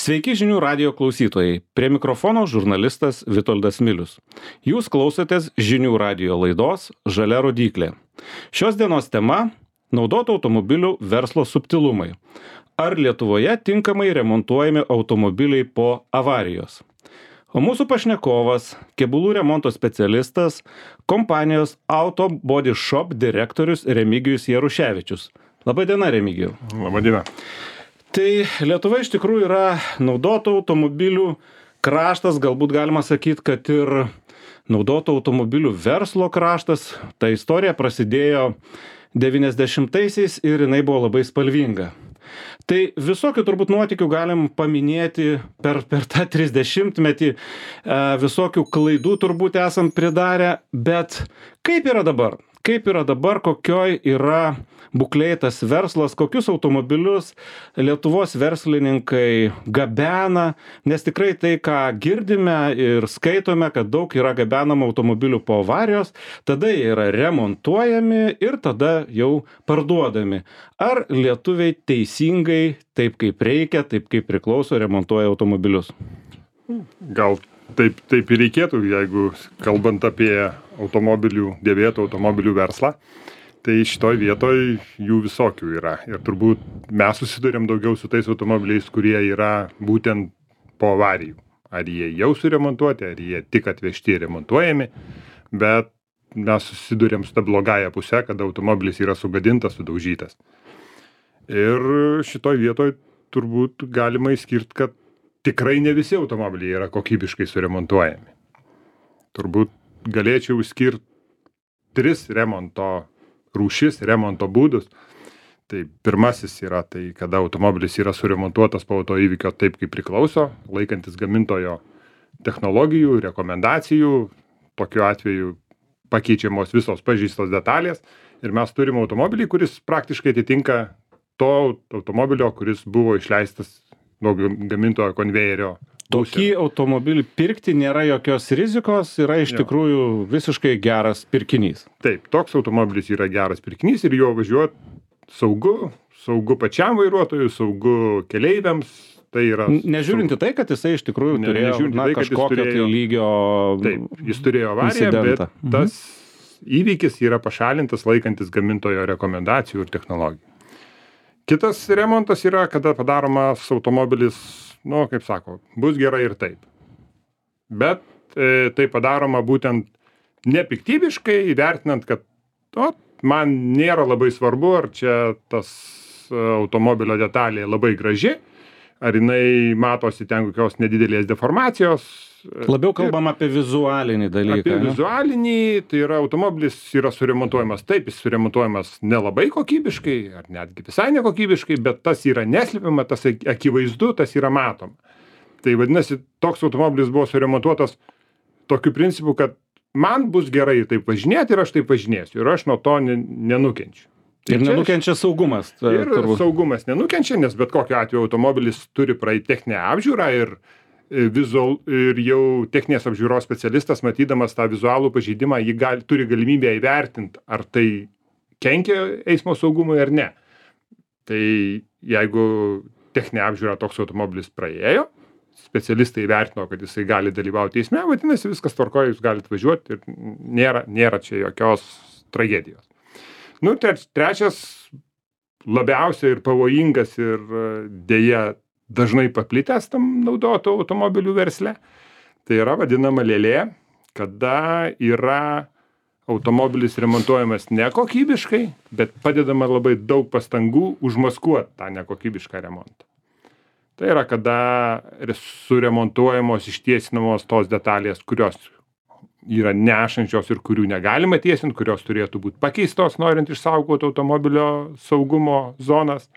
Sveiki žinių radijo klausytojai. Prie mikrofono žurnalistas Vitoldas Milius. Jūs klausotės žinių radijo laidos Žalia rodyklė. Šios dienos tema – naudotų automobilių verslo subtilumai. Ar Lietuvoje tinkamai remontuojami automobiliai po avarijos? O mūsų pašnekovas, kėbulų remonto specialistas, kompanijos Auto Body Shop direktorius Remigijus Jaruševičius. Labadiena, Remigijau. Labadiena. Tai Lietuva iš tikrųjų yra naudotų automobilių kraštas, galbūt galima sakyti, kad ir naudotų automobilių verslo kraštas. Ta istorija prasidėjo 90-aisiais ir jinai buvo labai spalvinga. Tai visokių turbūt nuotykių galim paminėti per tą 30-metį, visokių klaidų turbūt esam pridarę, bet kaip yra dabar? Kaip yra dabar, kokioj yra būklėj tas verslas, kokius automobilius Lietuvos verslininkai gabena, nes tikrai tai, ką girdime ir skaitome, kad daug yra gabenama automobilių po avarijos, tada jie yra remontuojami ir tada jau parduodami. Ar lietuviai teisingai, taip kaip reikia, taip kaip priklauso, remontuoja automobilius? Gal taip ir reikėtų, jeigu kalbant apie dėvėtų automobilių verslą, tai šitoj vietoj jų visokių yra. Ir turbūt mes susidurėm daugiau su tais automobiliais, kurie yra būtent po avarijų. Ar jie jau suremontuoti, ar jie tik atvežti ir remontuojami, bet mes susidurėm su ta blogąja pusė, kad automobilis yra sugadintas, sudaužytas. Ir šitoj vietoj turbūt galima išskirti, kad tikrai ne visi automobiliai yra kokybiškai suremontuojami. Turbūt galėčiau išskirti 3 remonto rūšis, remonto būdus. Tai pirmasis yra tai, kada automobilis yra suremontuotas po autoįvykio taip, kaip priklauso, laikantis gamintojo technologijų, rekomendacijų. Tokiu atveju pakeičiamos visos pažeistos detalės ir mes turime automobilį, kuris praktiškai atitinka to automobilio, kuris buvo išleistas nuo gamintojo konvejerio. Tokį automobilį pirkti nėra jokios rizikos, yra iš tikrųjų visiškai geras pirkinys. Taip, toks automobilis yra geras pirkinys ir jo važiuoti saugu pačiam vairuotojui, saugu keleiviams. Tai yra nežiūrinti tai, kad jisai iš tikrųjų turėjo kažkokio tai lygio Taip, jis turėjo avariją, bet tas įvykis yra pašalintas laikantis gamintojo rekomendacijų ir technologijų. Kitas remontas yra, kada padaromas automobilis, kaip sako, bus gerai ir taip. Bet tai padaroma būtent nepiktybiškai, įvertinant, kad man nėra labai svarbu, ar čia tas automobilio detalė labai graži, ar jinai matosi ten kokios nedidelės deformacijos. Labiau kalbam apie vizualinį dalyką. Apie vizualinį, tai yra automobilis yra suremontuojamas taip, jis suremontuojamas nelabai kokybiškai, ar netgi visai nekokybiškai, bet tas yra neslepiama, tas akivaizdu, tas yra matoma. Tai vadinasi, toks automobilis buvo suremontuotas tokiu principu, kad man bus gerai taip važinėti ir aš taip važinėsiu ir aš nuo to nenukenčiu. Ir nenukenčia saugumas. Ir saugumas nenukenčia, nes bet kokiu atveju automobilis turi praeiti techninę apžiūrą ir jau techninės apžiūros specialistas, matydamas tą vizualų pažeidimą, turi galimybę įvertinti, ar tai kenkia eismo saugumui ar ne. Tai jeigu techninė apžiūra toks automobilis praėjo, specialistai įvertino, kad jisai gali dalyvauti eisme, vadinasi, viskas tvarkoja, jūs galite važiuoti ir nėra čia jokios tragedijos. Trečias labiausiai ir pavojingas ir dėja dažnai paplitęs tam naudotų automobilių versle, tai yra vadinama lėlė, kada yra automobilis remontuojamas nekokybiškai, bet padedama labai daug pastangų užmaskuoti tą nekokybišką remontą. Tai yra, kada suremontuojamos, ištiesinamos tos detalės, kurios yra nešančios ir kurių negalima tiesinti, kurios turėtų būti pakeistos, norint išsaugoti automobilio saugumo zonas.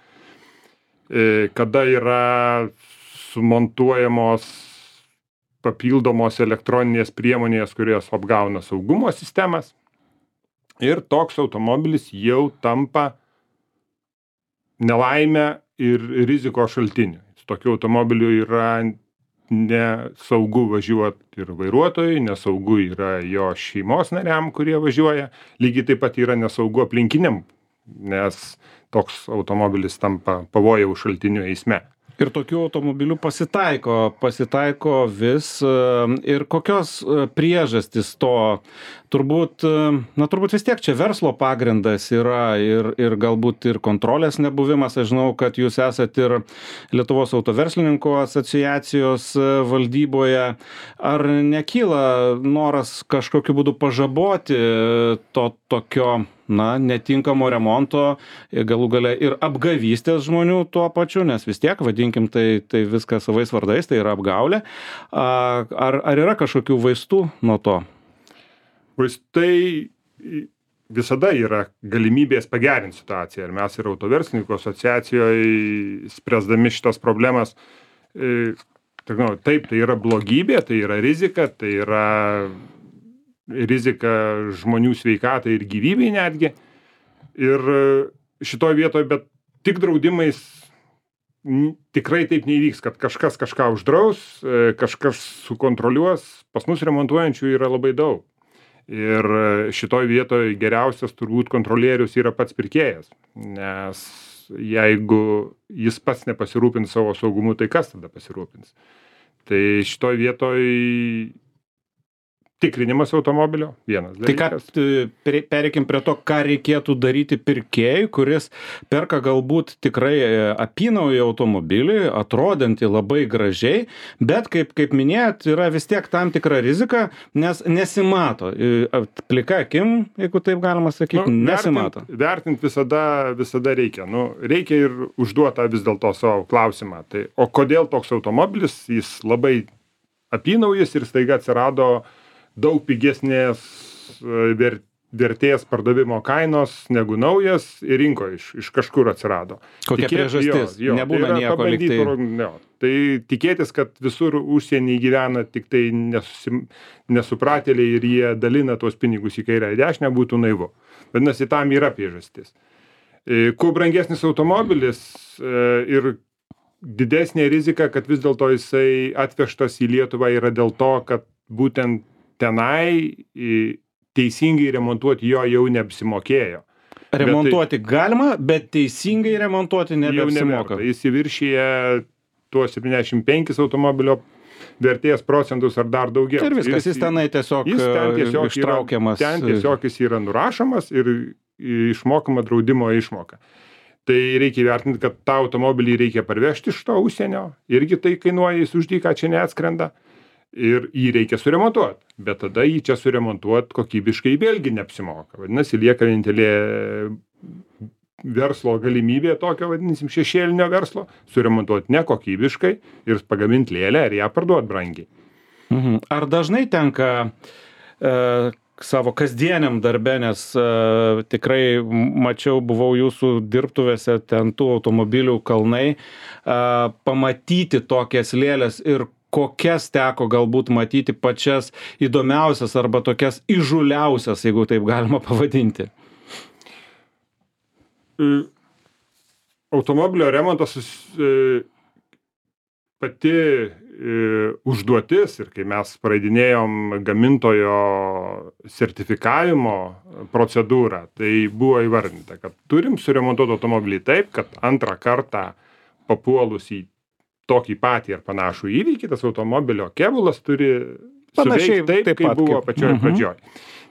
Kada yra sumontuojamos papildomos elektroninės priemonės, kurios apgauna saugumo sistemas. Ir toks automobilis jau tampa nelaimę ir rizikos šaltiniu. Su tokiu automobiliu yra nesaugu važiuoti ir vairuotojui, nesaugu yra jo šeimos nariam, kurie važiuoja. Lygiai taip pat yra nesaugu aplinkiniam, nes toks automobilis tampa pavojaus šaltiniu eisme. Ir tokių automobilių pasitaiko vis. Ir kokios priežastys to? Turbūt vis tiek čia verslo pagrindas yra ir galbūt ir kontrolės nebuvimas. Aš žinau, kad jūs esat ir Lietuvos autoverslininkų asociacijos valdyboje. Ar nekyla noras kažkokiu būdu pažaboti to tokio netinkamo remonto, galų gale ir apgavystės žmonių tuo pačiu, nes vis tiek, vadinkim, tai viskas savais vardais, tai yra apgaulė. Ar yra kažkokių vaistų nuo to? Vaistai visada yra galimybės pagerinti situaciją. Ir mes ir autoverslininkų asociacijoje, spręsdami šitas problemas, taip, tai yra blogybė, tai yra rizika, tai yra rizika žmonių sveikatai ir gyvybei netgi. Ir šitoj vietoj, bet tik draudimais tikrai taip neįvyks, kad kažkas kažką uždraus, kažkas sukontroliuos. Pas mus remontuojančių yra labai daug. Ir šitoj vietoj geriausias turbūt kontrolierius yra pats pirkėjas. Nes jeigu jis pats nepasirūpins savo saugumu, tai kas tada pasirūpins? Tai šitoj vietoj tikrinimas automobilio, vienas dalykas. Tai pereikim prie to, ką reikėtų daryti pirkėjui, kuris perka galbūt tikrai apynaują automobilį, atrodantį labai gražiai, bet kaip minėjot, yra vis tiek tam tikra rizika, nes nesimato. Plika akim, jeigu taip galima sakyti, nesimato. Vertint visada reikia. Reikia ir užduotą vis dėlto savo klausimą. Tai, o kodėl toks automobilis, jis labai apynaujis ir staiga atsirado daug pigesnės vertės pardavimo kainos negu naujas ir rinkoje iš kažkur atsirado. Kokia priežastis? Nebūna nieko lyg tai. Tai tikėtis, kad visur užsienį gyvena tik tai nesupratėliai ir jie dalina tuos pinigus į kairę ir dešinę, būtų naivu. Vadinasi, tam yra priežastis. Kuo brangesnis automobilis ir didesnė rizika, kad vis dėlto jisai atvežtas į Lietuvą yra dėl to, kad būtent tenai teisingai remontuoti jo jau neapsimokėjo. Remontuoti galima, bet teisingai remontuoti nebeapsimoka. Jis įviršyje tuos 75 automobilio vertės procentus ar dar daugiau. Ir viskas, jis tenai tiesiog ištraukiamas. Ten tiesiog jis yra nurašomas ir išmokama draudimo išmoka. Tai reikia įvertinti, kad tą automobilį reikia parvežti iš to užsienio. Irgi tai kainuoja, jis už dyką čia neatskrenda. Ir jį reikia suremontuoti, bet tada jį čia suremontuoti kokybiškai vėlgi neapsimoka. Vadinasi, lieka vienintelė verslo galimybė tokio, vadinsim, šešėlinio verslo, suremontuoti nekokybiškai ir pagaminti lėlę ir ją parduoti brangiai. Ar dažnai tenka savo kasdieniam darbe, nes tikrai mačiau, buvau jūsų dirbtuvėse, ten tų automobilių kalnai, pamatyti tokias lėlės ir kokias teko galbūt matyti pačias įdomiausias arba tokias įžūliausias, jeigu taip galima pavadinti? Automobilio remontas pati užduotis ir kai mes praeidinėjom gamintojo sertifikavimo procedūrą, tai buvo įvardinta, kad turim suremontuoti automobilį taip, kad antrą kartą papuolus į tokį patį ar panašų įvykį, tas automobilio kėbulas turi suveikti taip, kaip buvo pačioj pradžioj.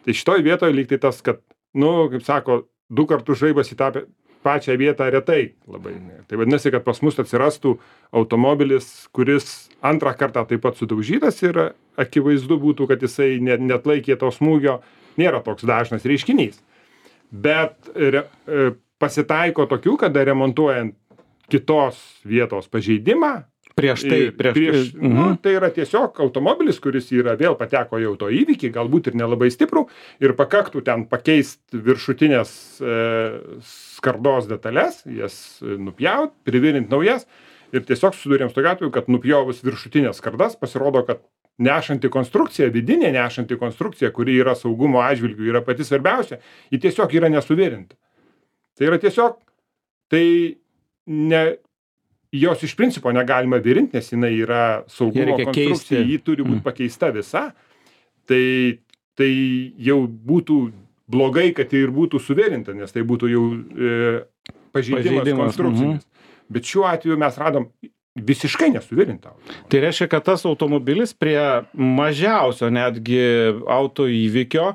Tai šitoj vietoje lyg tai tas, kad, kaip sako, 2 kartus žaibas į tą pačią vietą retai labai. Tai vadinasi, kad pas mus atsirastų automobilis, kuris antrą kartą taip pat sudaužytas ir akivaizdu būtų, kad jisai neatlaikė to smūgio, nėra toks dažnas reiškinys. Bet pasitaiko tokių, kada remontuojant kitos vietos pažeidimą. Tai yra tiesiog automobilis, kuris vėl pateko jau to įvykį, galbūt ir nelabai stiprų, ir pakaktų ten pakeisti viršutinės skardos detalės, jas nupjaut, privirinti naujas, ir tiesiog susidurėm su tokiu atveju, kad nupjovus viršutinės skardas, pasirodo, kad nešanti konstrukcija, vidinė nešanti konstrukcija, kuri yra saugumo atžvilgiu, yra pati svarbiausia, ji tiesiog yra nesuvirinta. Tai yra tiesiog, jos iš principo negalima virinti, nes jinai yra saugumo konstrukcija, ji turi būti pakeista visa. Tai jau būtų blogai, kad tai ir būtų suvirinta, nes tai būtų jau pažeidimas konstrukcinis. Bet šiuo atveju mes radom visiškai nesuvirintą. Tai reiškia, kad tas automobilis prie mažiausio netgi autoįvykio,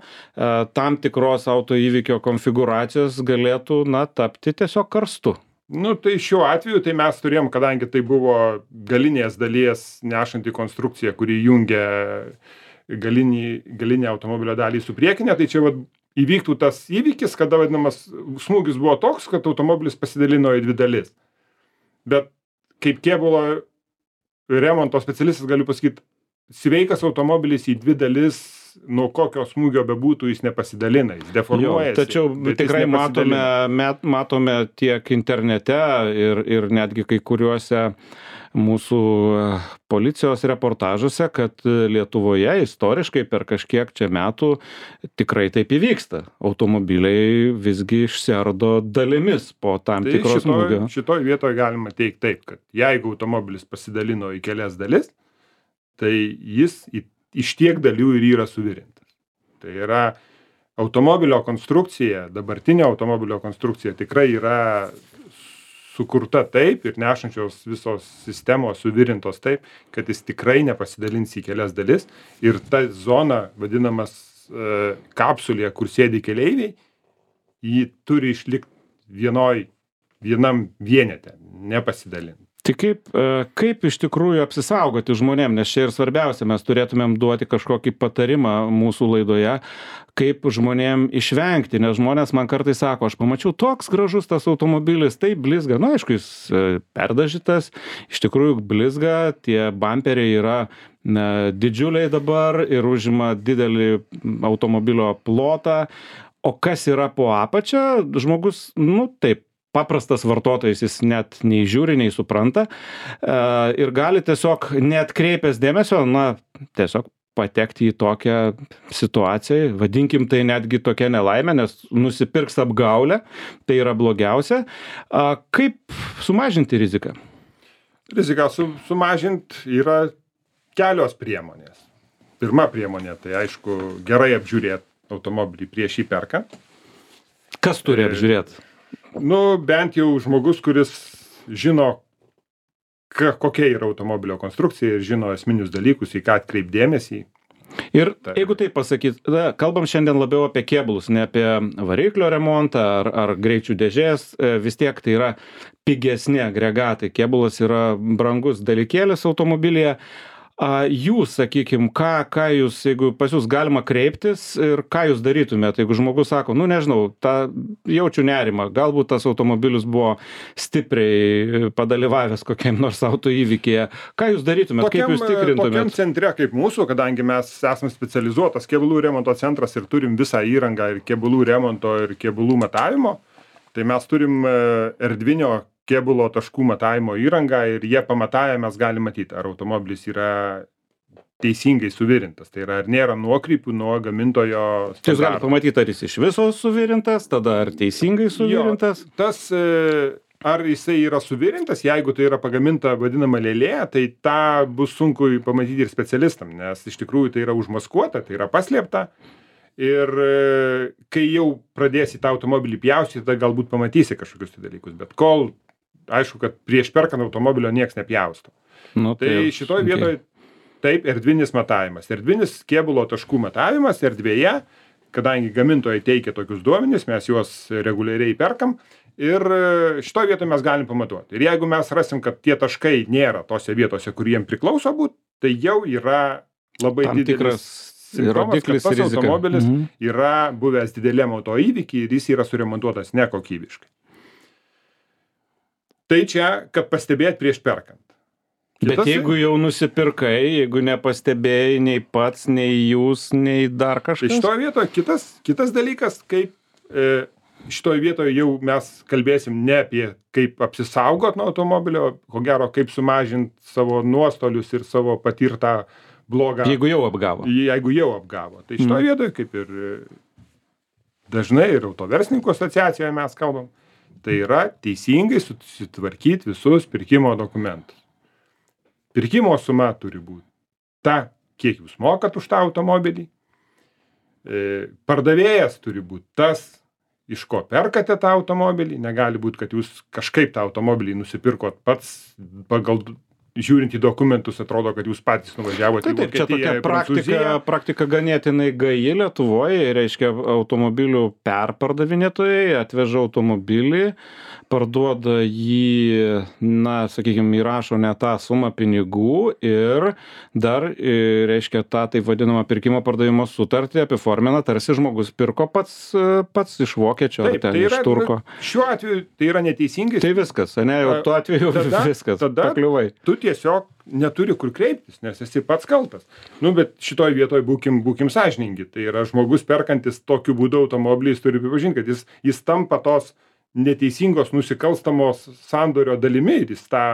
tam tikros autoįvykio konfiguracijos galėtų, tapti tiesiog karstu. Tai šiuo atveju tai mes turėjom, kadangi tai buvo galinės dalies nešanti konstrukcija, kuri jungia galinę automobilio dalį su priekinė, tai čia įvyktų tas įvykis, kada vadinamas smūgis buvo toks, kad automobilis pasidalino į dvi dalis. Bet kaip kėbulo remonto specialistas galiu pasakyti, sveikas automobilis į dvi dalis, nuo kokio smūgio bebūtų, jis nepasidalina, jis deformuojasi. Tačiau tikrai matome tiek internete ir netgi kai kuriuose mūsų policijos reportažuose, kad Lietuvoje istoriškai per kažkiek čia metų tikrai taip įvyksta. Automobiliai visgi išsiardo dalimis po tam tikros smūgio. Šitoj vietoje galima teikti taip, kad jeigu automobilis pasidalino į kelias dalis, tai jis iš tiek dalių ir yra suvirintas. Tai yra automobilio konstrukcija, dabartinio automobilio konstrukcija tikrai yra sukurta taip ir nešančios visos sistemos suvirintos taip, kad jis tikrai nepasidalins į kelias dalis ir ta zona, vadinamas kapsulė, kur sėdi keleiviai, jį turi išlikti vienam vienete, nepasidalinti. Tai kaip iš tikrųjų apsisaugoti žmonėm, nes čia ir svarbiausia, mes turėtumėm duoti kažkokį patarimą mūsų laidoje, kaip žmonėm išvengti, nes žmonės man kartais sako, aš pamačiau toks gražus tas automobilis, tai blizga, aišku, jis perdažytas, iš tikrųjų blizga, tie bumperiai yra didžiuliai dabar ir užima didelį automobilio plotą, o kas yra po apačia, žmogus, taip, paprastas vartotojas, jis net nei žiūri, nei supranta ir gali tiesiog neatkreipęs dėmesio, tiesiog patekti į tokią situaciją, vadinkim tai netgi tokia nelaimė, nes nusipirks apgaulę, tai yra blogiausia. Kaip sumažinti riziką? Riziką sumažinti yra kelios priemonės. Pirma priemonė, tai aišku, gerai apžiūrėti automobilį prieš jį perkant. Kas turi apžiūrėti? Bent jau žmogus, kuris žino, kokia yra automobilio konstrukcija ir žino esminius dalykus, į ką atkreipdėmėsi. Ir jeigu tai pasakyt, kalbam šiandien labiau apie kėbulus, ne apie variklio remontą ar greičių dėžės, vis tiek tai yra pigesni agregatai, kėbulas yra brangus dalykėlis automobilyje. Jūs, sakykim, ką jūs, jeigu pas jūs galima kreiptis ir ką jūs darytumėte, jeigu žmogus sako, nežinau, jaučiu nerimą, galbūt tas automobilis buvo stipriai padalyvavęs kokiam nors autoįvykyje, ką jūs darytumėte, kaip jūs tikrintumėte? Tokiam centre kaip mūsų, kadangi mes esame specializuotas kėbulų remonto centras ir turim visą įrangą ir kėbulų remonto ir kėbulų matavimo, tai mes turim erdvinio kėbulo taškų matavimo įrangą ir jie pamatavę mes galim matyti, ar automobilis yra teisingai suvirintas. Tai yra, ar nėra nuokrypių nuo gamintojo standartų. Jūs galite pamatyti, ar jis iš viso suvirintas, tada ar teisingai suvirintas? Ar jisai yra suvirintas, jeigu tai yra pagaminta vadinama lėlė, tai tą bus sunku pamatyti ir specialistam, nes iš tikrųjų tai yra užmaskuota, tai yra paslėpta. Ir kai jau pradėsi tą automobilį pjaustyti, tada galbūt pamatysi kažkokius dalykus, bet kol aišku, kad prieš perkant automobilio nieks nepjausto. Tai šitoj vietoj taip, erdvinis matavimas. Erdvinis kėbulo taškų matavimas erdvėje, kadangi gamintojai teikia tokius duomenis, mes juos reguliariai perkam ir šitoj vietoj mes galim pamatuoti. Ir jeigu mes rasim, kad tie taškai nėra tose vietose, kur jiem priklauso būt, tai jau yra labai didelis simptomas, kad tas automobilis yra buvęs dideliam autoįvyky ir jis yra suremontuotas nekokybiškai. Tai čia, kad pastebėt prieš perkant. Bet jeigu jau nusipirkai, jeigu nepastebėjai nei pats, nei jūs, nei dar kažkas? Tai šitoje vietoje kitas dalykas, kaip šitoje vietoje jau mes kalbėsim ne apie kaip apsisaugot nuo automobilio, ko gero kaip sumažinti savo nuostolius ir savo patirtą blogą. Jeigu jau apgavo. Jeigu jau apgavo. Tai šitoje vietoje, kaip ir dažnai ir autoverslininkų asociacijoje mes kalbam, tai yra teisingai susitvarkyti visus pirkimo dokumentus. Pirkimo suma turi būti ta, kiek jūs mokat už tą automobilį. Pardavėjas turi būti tas, iš ko perkate tą automobilį. Negali būti, kad jūs kažkaip tą automobilį nusipirkot pats pagal žiūrint į dokumentus atrodo, kad jūs patys nuvažiavote į Taip, čia Vokietiją, tokia praktika ganėtinai gaji Lietuvoje, reiškia automobilių perpardavinėtojai atveža automobilį, parduoda jį, na, sakykime, įrašo ne tą sumą pinigų ir dar, reiškia, tą taip vadinamą pirkimo pardavimo sutartį apiformina, tarsi žmogus pirko pats iš vokiečio ar ten iš turko. Šiuo atveju tai yra neteisingai. Tai viskas, ne, jau tuo atveju viskas, pakliuvai. Tu tiesiog neturi kur kreiptis, nes esi pats kaltas. Nu, bet šitoj vietoj būkim sąžiningi. Tai yra žmogus perkantis tokiu būdu automobilį, jis turi pripažinti, kad jis tampa tos neteisingos nusikalstamos sandorio dalimi ir jis tą...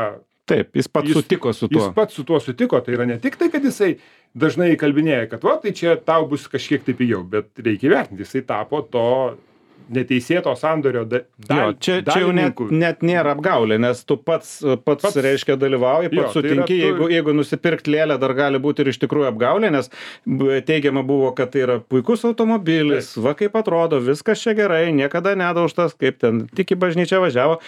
Taip, jis pats sutiko su tuo. Jis pats su tuo sutiko, tai yra ne tik tai, kad jisai dažnai kalbinėja, kad va, tai čia tau bus kažkiek tai pigiau, bet reikia vertinti, jisai tapo to neteisėto sandorio dalininku. Čia jau net nėra apgaulė, nes tu pats reiškia dalyvauji, pats sutinki, jeigu nusipirkt lėlę dar gali būti ir iš tikrųjų apgaulė, nes teigiama buvo, kad tai yra puikus automobilis, va kaip atrodo, viskas čia gerai, niekada nedaužtas, kaip ten tik į bažnyčią važiavo.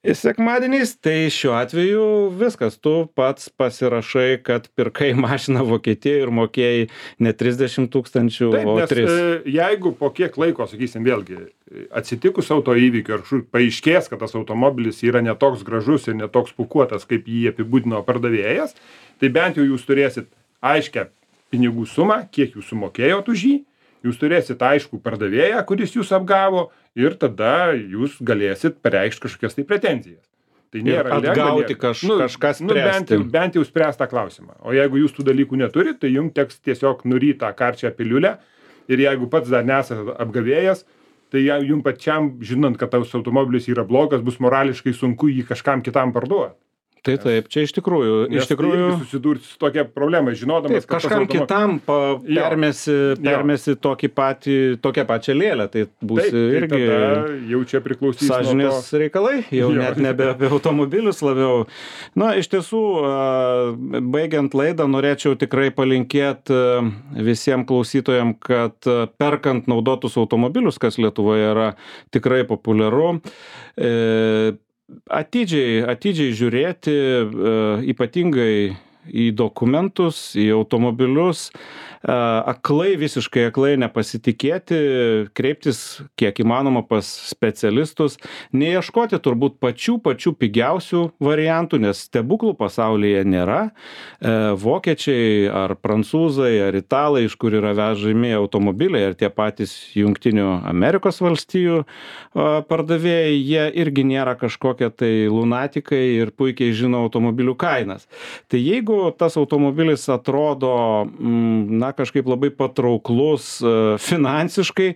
Sekmadieniais, tai šiuo atveju viskas, tu pats pasirašai, kad pirkai mašiną Vokietijoje ir mokėjai ne 30 000, o 3. Jeigu po kiek laiko, sakysim, vėlgi, atsitikus autoįvykio ir paaiškės, kad tas automobilis yra netoks gražus ir netoks pūkuotas, kaip jį apibūdino pardavėjas, tai bent jau jūs turėsit aiškę pinigų sumą, kiek jūs sumokėjot už jį, jūs turėsit aiškų pardavėją, kuris jūs apgavo ir tada jūs galėsit pareikšti kažkokias tai pretenzijas. Tai nėra atgauti kažką spręsti. Bent jau spręs tą klausimą. O jeigu jūs tų dalykų neturit, tai jums teks tiesiog nuryti tą karčią piliulę ir jeigu pats dar nesate apgavėjas, tai jums pačiam, žinant, kad tas automobilis yra blogas, bus morališkai sunku jį kažkam kitam parduoti. Tai taip, čia iš tikrųjų susidurti su tokia problema, žinodamas, kad kažkam kitam permesi tokią pačią lėlę, tai bus irgi jau čia priklausys sąžinės reikalai, jau net nebe apie automobilius labiau. Na, iš tiesų, baigiant laidą, norėčiau tikrai palinkėti visiems klausytojams, kad perkant naudotus automobilius, kas Lietuvoje yra tikrai populiaru, atidžiai žiūrėti, ypatingai į dokumentus, į automobilius, visiškai aklai nepasitikėti, kreiptis kiek įmanoma pas specialistus, neieškoti turbūt pačių pigiausių variantų, nes stebuklų pasaulyje nėra. Vokiečiai ar prancūzai ar italai, iš kur yra vežami automobiliai, ar tie patys Jungtinių Amerikos valstijų pardavėjai, jie irgi nėra kažkokie tai lunatikai ir puikiai žino automobilių kainas. Tai jeigu tas automobilis atrodo, kažkaip labai patrauklus finansiškai,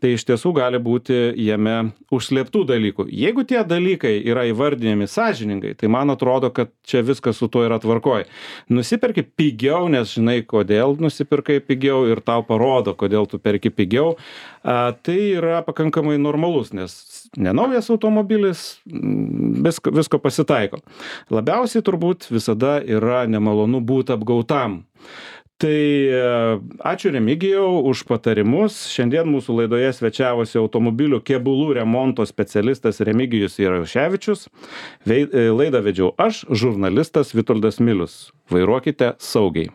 tai iš tiesų gali būti jame užslėptų dalykų. Jeigu tie dalykai yra įvardinami sąžiningai, tai man atrodo, kad čia viskas su tuo yra tvarkoj. Nusiperki pigiau, nes žinai, kodėl nusipirkai pigiau ir tau parodo, kodėl tu perki pigiau. Tai yra pakankamai normalus, nes nenaujas automobilis, visko pasitaiko. Labiausiai turbūt visada yra nemalonu būti apgautam. Tai ačiū Remigijau už patarimus. Šiandien mūsų laidoje svečiavosi automobilių kėbulų remonto specialistas Remigijus Jaroševičius. Laidą vedžiau aš, žurnalistas Vitoldas Milius. Vairuokite saugiai.